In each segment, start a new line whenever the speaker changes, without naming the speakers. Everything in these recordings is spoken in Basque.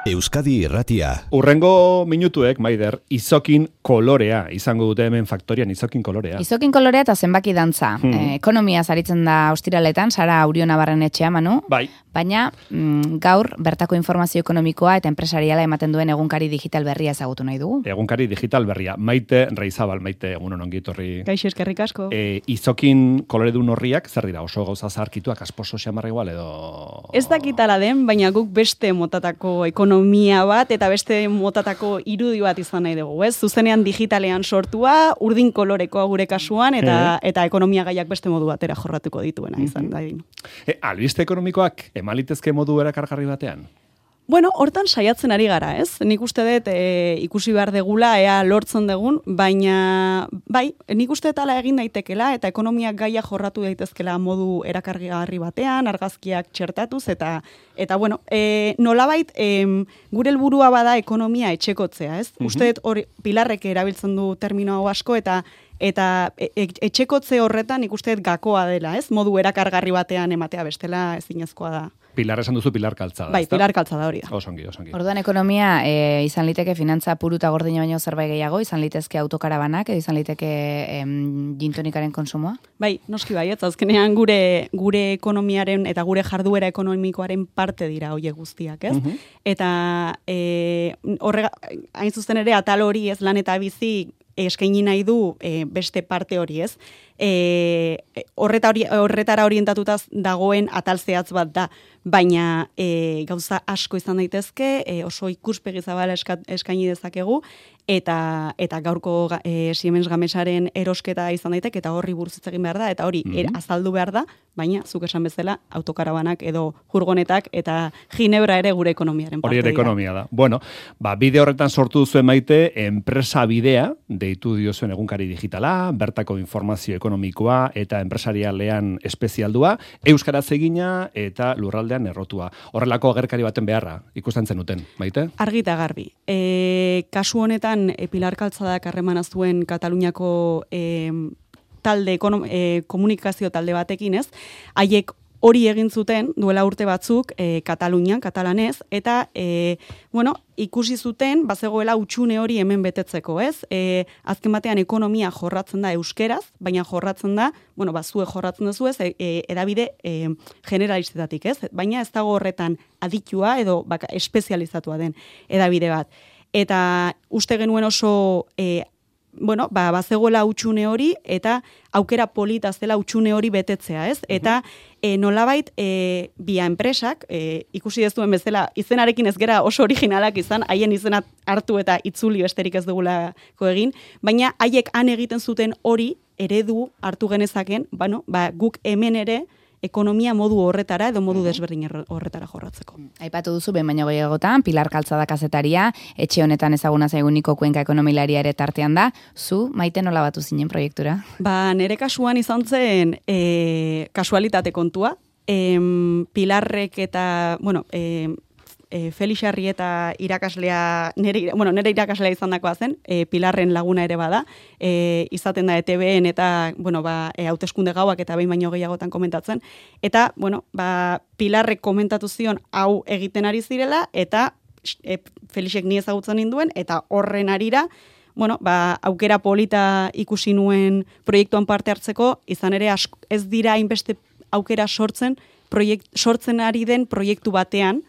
Euskadi Irratia.
Urrengo minutuek, Maider, izokin kolorea izango dute hemen faktorian, izokin kolorea.
Izokin kolorea eta zenbaki dantza. Ekonomia zaritzen da ostiraletan, Sara Auriona Barrenetxea, Manu.
Bai.
Baina gaur bertako informazio ekonomikoa eta enpresariala ematen duen egunkari digital berria ezagutu nahi dugu.
Egunkari digital berria. Maite Reizabal, Maite, egunon ongi etorri.
Kaixo, eskerrik asko.
Izokin koloredun horriak, zer dira, oso gauza zaharkituak, asposo xamarra igual edo...
Ez dakitala den, baina guk beste motatako ekonomia bat eta beste motatako irudi bat izan nahi dugu, ez? Zuzenean digitalean sortua, urdin kolorekoa gure kasuan eta ekonomia gaiak beste modu batera jorratuko dituena izan da.
Albiste ekonomikoak emalitezke modu erakargarri batean?
Bueno, hortan saiatzen ari gara, ez? Nik uste dut ikusi behar degula, ea lortzen dugun, baina bai, nik uste dut ala egin daitekela eta ekonomiak gaia jorratu daitezkela modu erakargarri batean, argazkiak txertatuz eta bueno, nolabait gure helburua bada ekonomia etxekotzea, ez? Uste dut hori Pilarrek erabiltzen du termino hau asko eta etxekotze horretan ikuste dut gakoa dela, ez? Modu erakargarri batean ematea bestela ezinezkoa da.
Pilar esan duzu Pilar Kaltzada.
Bai, Pilar Kaltzada hori da.
Osongi.
Orduan ekonomia izan liteke finantza puru eta gordina baino zerbait gehiago, izan litezke autokarabanak, edo izan liteke gintonikaren konsumoa? Bai,
noski bai, ez azkenean gure ekonomiaren eta gure jarduera ekonomikoaren parte dira hoiek guztiak, ez? Eta hain zuzen ere atal hori ez lan eta bizi eskaini nahi du beste parte hori, ez? Horretara orientatuta dagoen atal zehatz bat da, baina gauza asko izan daitezke, oso ikuspegi zabala eskaini dezakegu, eta gaurko Siemens Gamesaren erosketa izan daiteke, eta horri buruz hitz egin behar da, eta hori azaldu behar da, baina zuk esan bezala autokarabanak edo furgonetak eta Ginebra ere gure ekonomiaren parte
dira. Hori ere ekonomia da. Bueno, bide horretan sortu duzuen Maite, enpresa bidea, deitu diozuen egunkari digitala, bertako informazio ekonomikoa eta enpresarialean espezialdua, euskaraz egina eta lurraldean errotua. Horrelako agerkari baten beharra ikusten zenuten, Maite?
Argi eta garbi. Kasu honetan, Pilar Kaltzadak harremana zuen Kataluniako komunikazio talde batekin, ez? Haiek hori egin zuten duela urte batzuk Katalunian, katalanez, eta ikusi zuten bazegoela hutsune hori hemen betetzeko, ez? Azken batean ekonomia jorratzen da euskeraz, baina jorratzen da, zuek jorratzen duzu ez, edabide generalistetatik, ez? Baina ez dago horretan aditua edo espezializatua den edabide bat. Eta uste genuen oso bazegoela hutsune hori eta aukera polita zela hutsune hori betetzea, ez? Eta nolabait bia enpresak, ikusi dezuen bezala, izenarekin ez gera oso originalak izan, haien izena hartu eta itzuli besterik ez dugulako egin, baina haiek han egiten zuten hori eredu hartu genezaken, guk hemen ere ekonomia modu horretara edo modu desberdin horretara jorratzeko.
Aipatu duzu, baina gehiagotan, Pilar Kaltzada kazetaria, etxe honetan ezaguna zaiguniko Kuenka ekonomilaria ere tartean da. Zu, Maite, nola batu zinen proiektura?
Nere kasuan izan zen kasualitate kontua. Pilarrek eta, Felix Arrieta irakaslea, nere irakaslea izan dakoa zen, Pilarren laguna ere bada, izaten da ETB-en eta, hauteskunde gauak eta behin baino gehiagotan komentatzen, eta, Pilarrek komentatu zion hau egiten ari zirela, eta Felixek ni ezagutzen ninduen, eta horren arira, aukera polita ikusi nuen proiektuan parte hartzeko, izan ere ez dira hainbeste aukera sortzen ari den proiektu batean,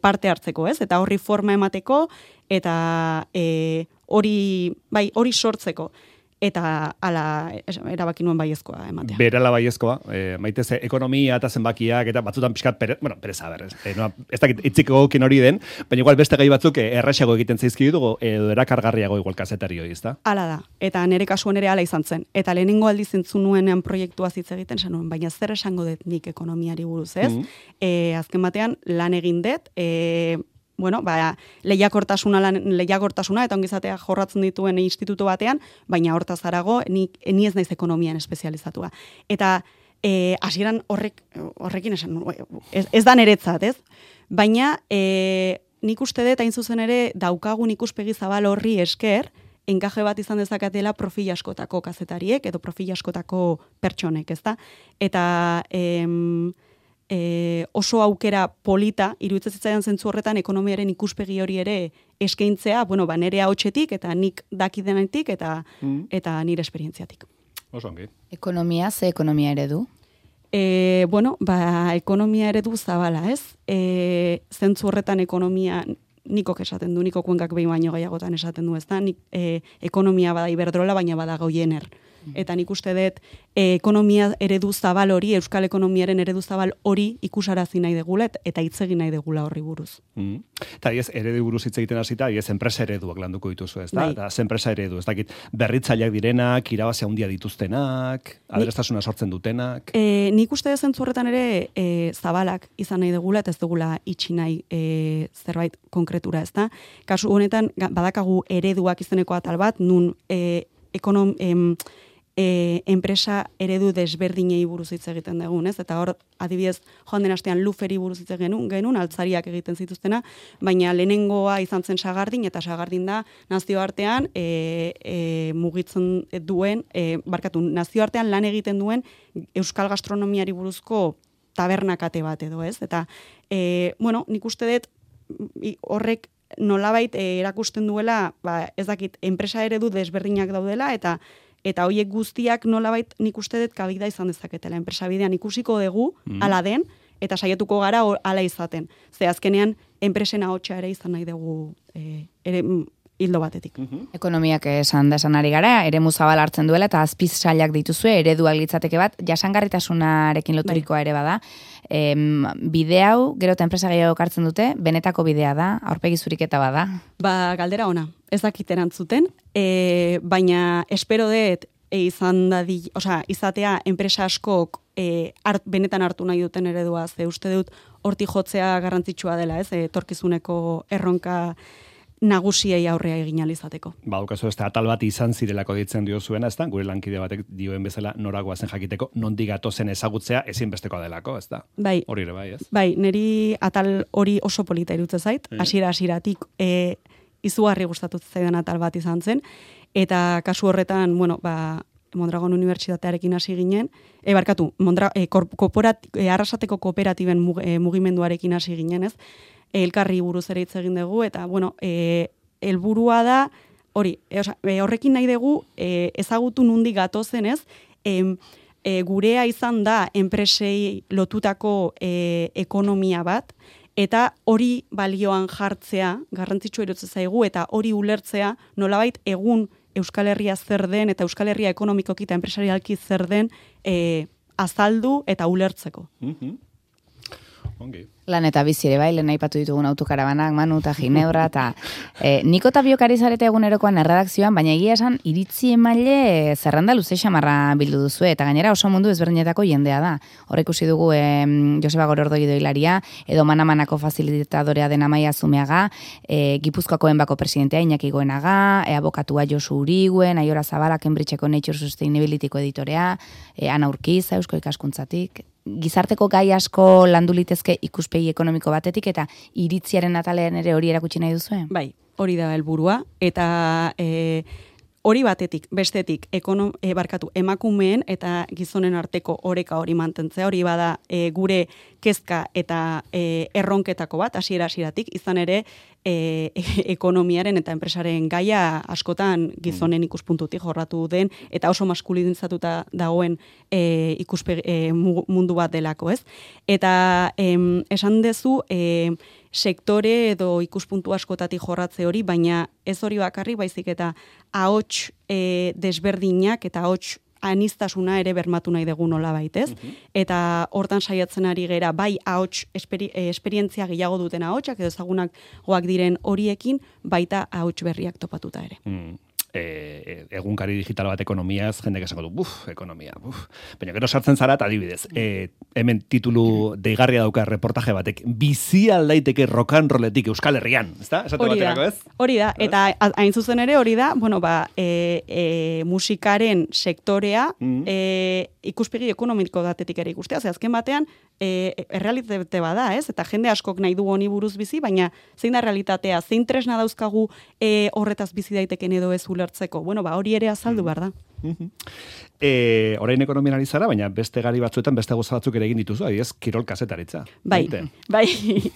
parte hartzeko, ez? Eta horri forma emateko eta hori sortzeko eta ala erabaki nuen baiezkoa ematea.
Berala baiezkoa, Maite ze ekonomia eta zenbakiak eta batzutan pixkat pereza berrez. Ez dakit itziko gokin hori den, baina igual beste gai batzuk erraxago egiten zaizki dugu edo erakargarriago igual kazetari hori, ezta?
Hala da. Eta nere kasuan ere hala izan zen. Eta lehenengo aldiz entzun nuenean proiektua hitz egiten zen, baina zer esango dut nik ekonomiari buruz, ez? Azken batean lan egin dut, lehiakortasuna eta ongizatea jorratzen dituen instituto batean, baina hortaz harago ni ez naiz ekonomian espezializatua. Eta hasieran horrekin esan, ez da niretzat, ez? Baina nik uste dut hain zuzen ere daukagun ikuspegi zabal horri esker, enkaje bat izan dezakatela profil askotako kazetariek edo profil askotako pertsonek, ezta? Eta oso aukera polita, iruditzen zitzaidan zentzu horretan ekonomiaren ikuspegi hori ere eskaintzea, nire ahotsetik eta nik dakidenetik eta nire esperientziatik.
Oso ongi.
Ekonomia, ze ekonomia eredu?
Ekonomia eredu zabala, ez? Zentzu horretan ekonomia nikok esaten du, nikok kuenkak behin baino gehiagotan esaten du, ez da? Ekonomia bada Iberdrola, baina bada Goiener. Eta nik uste dut ekonomia eredu zabal hori, euskal ekonomiaren eredu zabal hori ikusarazi nahi degula eta hitz egin nahi degula horri buruz.
Eta eredu buruz hitz egiten hasita, enpresa ereduak landuko dituzu, ez da? Eta enpresa eredu, ez dakit, berritzaileak direnak, irabazi handia dituztenak, aberastasuna sortzen dutenak.
Nik uste dut zentzu horretan ere zabalak izan nahi degula eta ez dugula itxi nahi zerbait konkretura, ez da? Kasu honetan badakagu ereduak izeneko atal bat, nun enpresa eredu desberdinei buruz hitz egiten dugun, ez? Eta hor, adibidez, joan den astean luferi buruz hitz genuen, altzariak egiten zituztena, baina lehenengoa izan zen Sagardin, eta Sagardin da nazioartean mugitzen duen, nazioartean lan egiten duen euskal gastronomiari buruzko tabernakate bat edo, ez? Eta, nik uste dut horrek nolabait erakusten duela, ez dakit, enpresa eredu desberdinak daudela, eta hoiek guztiak nolabait nik uste dut kabida izan dezaketela. Enpresa bidean ikusiko dugu, ala den, eta saiatuko gara ala izaten. Ze azkenean, enpresen ahotsa ere izan nahi dugu hildo batetik.
Ekonomiak esan ari gara, eremu zabal hartzen duela, eta azpiz sailak dituzue, ereduak litzateke bat, jasangarritasunarekin loturikoa ere bada. Bide hau, gero eta enpresa gehiago hartzen dute, benetako bidea da, aurpegi zuriketa bada.
Galdera ona, ez dakit erantzuten, baina espero dut izatea enpresa askok benetan hartu nahi duten eredua, ze uste dut hortik jotzea garrantzitsua dela, ez, etorkizuneko erronka nagusiei aurrea egin alizateko.
Daukazu ez atal bat izan zirelako ditzen dio zuena, ez da? Gure lankide batek dioen bezala noragoa zen jakiteko, nondik gatozen ezagutzea ezinbestekoa delako, ez da?
Bai.
Hori ere bai, ez?
Bai, niri atal hori oso polita irutzen zait, hasieratik izugarri gustatu zaidan atal bat izan zen, eta kasu horretan, Mondragon Unibertsitatearekin hasi ginen, Arrasateko kooperatiben mugimenduarekin hasi ginen, ez? Elkarri buruz ere hitz egin dugu, eta, helburua da, horrekin nahi dugu, ezagutu nundi gatozen, ez? Gurea izan da enpresei lotutako ekonomia bat, eta hori balioan jartzea, garrantzitsua iruditzen zaigu, eta hori ulertzea, nolabait egun Euskal Herria zer den, eta Euskal Herria ekonomikoki eta enpresarialki zer den azaldu eta ulertzeko.
Ongi.
Lan eta bizi ere bai, lehen aipatu ditugun autokarabanak, Manu eta Ginebra, eta Niko eta biok ari zarete egunerokoan erredakzioan, baina egia esan iritzi emaile zerrenda luze xamarra bildu duzu, eta gainera oso mundu ezberdinetako jendea da. Hor ikusi dugu Joseba Gorordoi doilaria, edo Manamanako facilitadorea den Amaia Zumeaga, Gipuzkoako Enbako presidentea Iñaki Goenaga, abokatua Josu Uriguen, Aiora Zabala, Cambridgeko Nature Sustainabilityko editorea, Ana Urkiza, Eusko Ikaskuntzatik. Gizarteko gai asko landu litezke ikuspegi ekonomiko batetik eta iritziaren atalean ere hori erakutsi nahi duzue?
Bai, hori da helburua eta hori batetik, bestetik, emakumeen eta gizonen arteko oreka hori mantentzea, hori bada gure kezka eta erronketako bat, hasieratik izan ere ekonomiaren eta enpresaren gaia askotan gizonen ikuspuntutik jorratu den eta oso maskulinizatuta dagoen mundu bat delako, ez? Eta esan dezu sektore edo ikuspuntu askotatik jorratze hori, baina ez hori bakarri, baizik eta ahots desberdinak eta ahots aniztasuna ere bermatu nahi dugu nola baitez. Eta hortan saiatzen ari gera, bai ahots esperientzia gehiago duten ahotsak edo ezagunak goak diren horiekin, baita ahots berriak topatuta ere.
Egunkari digital bat ekonomiaz, jendek esango du, ekonomia, Baina gero sartzen zara, eta adibidez, hemen titulu deigarria dauka reportaje batek, bizi aldaiteke rock and rolletik Euskal Herrian, ezta? Esate baterako, ez?
Hori da, eta hain zuzen ere hori da, musikaren sektorea ikuspegi ekonomiko datetik ere ikustea, ze azken batean, errealitate bada, ez? Eta jende askok nahi du honi buruz bizi, baina zein da realitatea, zein tresna dauzkagu horretaz bizi daiteken edo ez ulertzeko. Hori ere azaldu behar da.
Orain ekonomian ari zara, baina beste gari batzuetan beste gauza batzuk ere egin dituzu, adibidez, kirol kazetaritza.
Bai,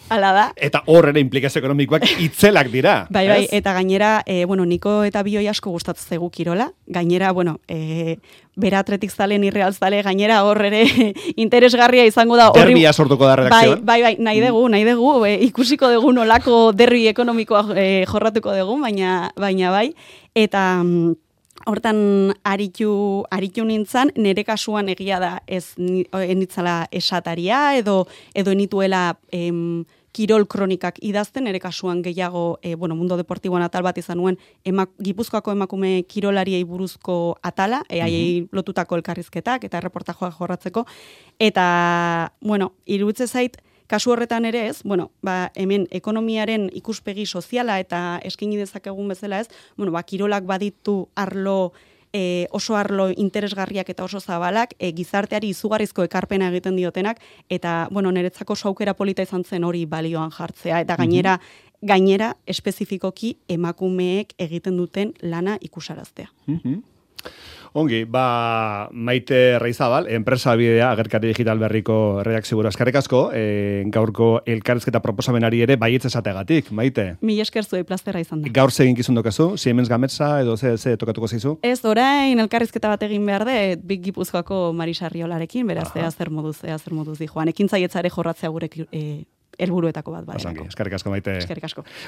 hala da.
Eta hor ere implikazio ekonomikoak itzelak dira.
Bai, eta gainera, Niko eta Bioi asko gustatzen zaigu kirola. Gainera, bera atletik zalen, irreal zale, gainera hor ere interesgarria izango da.
Derbia sortuko da redakzioan.
Bai, nahi dugu, ikusiko dugu nolako derbi ekonomikoa jorratuko dugu, baina bai. Eta hortan aritu nintzen, nire kasuan egia da ez enitzala esataria edo enituela kirol kronikak idazten, nire kasuan gehiago mundo deportiboan atal bat izan nuen Gipuzkoako emakume kirolariei buruzko atala, haiei lotutako elkarrizketak eta erreportajoak jorratzeko, eta iruditzen zait, kasu horretan ere ez, hemen ekonomiaren ikuspegi soziala eta eskaini dezakegun bezala ez, kirolak baditu oso arlo interesgarriak eta oso zabalak, gizarteari izugarrizko ekarpena egiten diotenak, eta niretzako oso aukera polita izan zen hori balioan jartzea, eta gainera espezifikoki emakumeek egiten duten lana ikusaraztea.
Ongi, Maite Reizabal, enpresa bidea agerkari digital berriko redakzio buru. Eskerrik asko, gaurko elkarrizketa proposamenari ere baietz esateagatik, Maite.
Mil esker zuei plazera izan da.
Gaur zegin kizun dokazu, Siemens Gametza edo ze tokatuko zaizu?
Ez, orain elkarrizketa bat egin behar de, Big Gipuzkoako Marisa Riolarekin, beraz, zer moduz di joan. Ekin zaietzare jorratzea gure helburuetako bat.
Eskerrik asko, Maite.
Eskerrik asko.